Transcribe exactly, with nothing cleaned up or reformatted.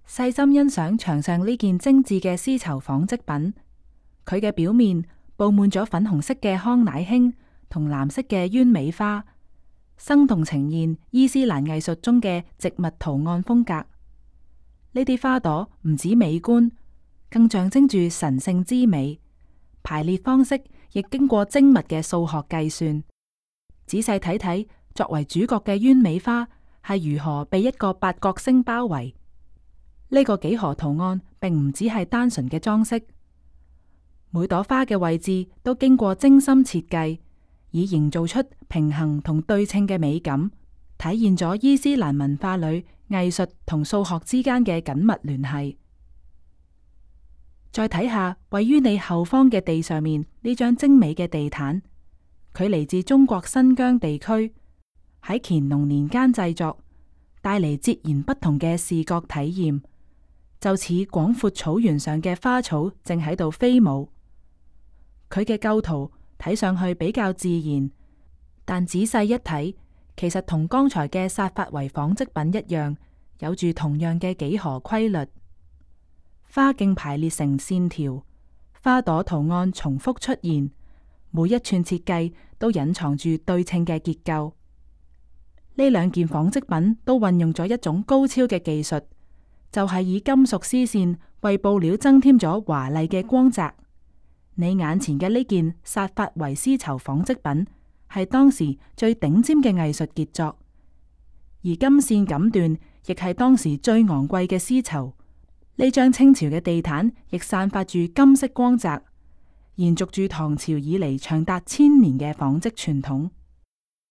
細心欣賞牆上呢件精緻嘅絲綢紡織品，佢嘅表面布滿咗粉紅色嘅康乃馨同藍色嘅鳶尾花，生動呈現伊斯蘭藝術中嘅植物圖案風格。呢啲花朵唔止美觀，更象徵住神聖之美，排列方式亦經過精密嘅數學計算。仔細睇睇，作為主角嘅鳶尾花係如何被一個八角星包圍。呢個幾何圖案並唔只係單純嘅裝飾，每朵花嘅位置都經過精心設計，以營造出平衡同對稱嘅美感，體現咗伊斯蘭文化裏藝術同數學之間嘅緊密聯繫。再睇下位於你後方嘅地上面呢張精美嘅地毯，佢嚟自中國新疆地區，喺乾隆年間製作，帶嚟截然不同嘅視覺體驗，就似廣闊草原上嘅花草正喺度飛舞。佢嘅構圖睇上去比較自然，但仔細一睇，其實同剛才嘅薩法維紡織品一樣，有住同樣嘅幾何規律。花莖排列成線條，花朵圖案重複出現，每一寸設計都隱藏住對稱嘅結構。呢兩件紡織品都運用咗一種高超嘅技術，就係以金屬絲線為布料增添咗華麗嘅光澤。你眼前嘅呢件薩法維絲綢紡織品係當時最頂尖嘅藝術傑作，而金線錦緞亦係當時最昂貴嘅絲綢。呢張清朝嘅地毯亦散發住金色光澤，延續住唐朝以嚟長達千年嘅紡織傳統。